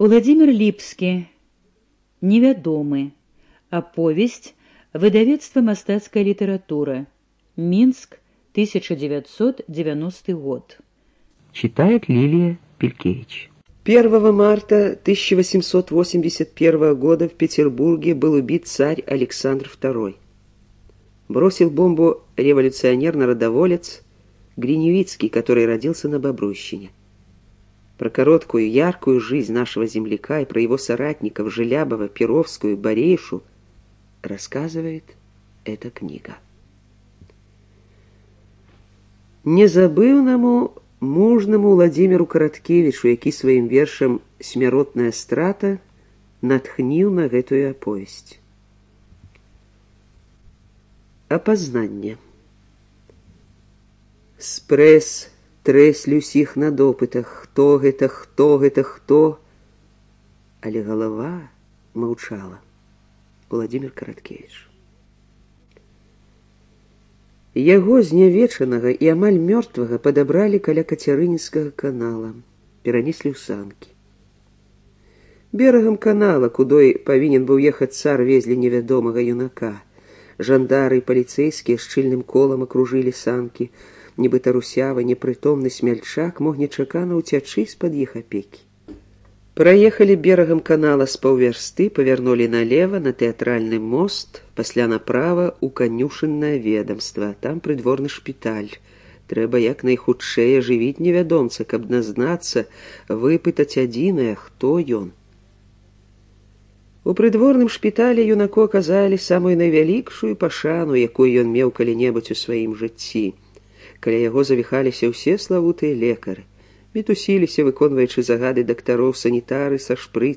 Уладзімір Ліпскі. Невядомы. Аповесць. Выдавецтва «Мастацкая литература». Минск, 1990 год. Читает Лилия Пелькевич. 1 марта 1881 года в Петербурге был убит царь Александр II. Бросил бомбу революционер-народоволец Гриневицкий, который родился на Бобруйщине. Про короткую, яркую жизнь нашего земляка и про его соратников Желябова, Перовскую, Борейшу рассказывает эта книга. Незабыўнаму мужнаму Владимиру Караткевичу, які сваім вершам «Смяротная страта» натхніў на гэтую аповесць. Апазнанне. Спрэс трэслі ўсіх на допытах, хто гэта, хто, але галава маўчала. Владимир Караткевич. Яго знявечанага і амаль мёртвага падабралі каля Кацярынінскага канала, перанеслі ў санкі. Берагам канала, кудой павінен быў ехаць цар, везлі невядомага юнака. Жандары і паліцэйскія шчыльным колам акружылі санкі, нібыта русявы, непрытомны смяльчак мог нечакана ўцячы з-пад іх апекі. Праехалі берагам канала з паўвярсты, павярнулі налево на тэатральны мост, пасля направа ў канюшыннае ведамства, там прыдворны шпіталь. Трэба як найхутчэй ажывіць невядомца, каб назнацца, выпытаць адзінае, хто ён. У прыдворным шпіталі юнаку аказалі самую найвялікшую пашану, якую ён меў калі-небудзь у сваім жыцці. Каля яго завіхаліся ўсе славутыя лекары. Мітусіліся, выконваючы загады дактароў, санітары са шпрыцамі,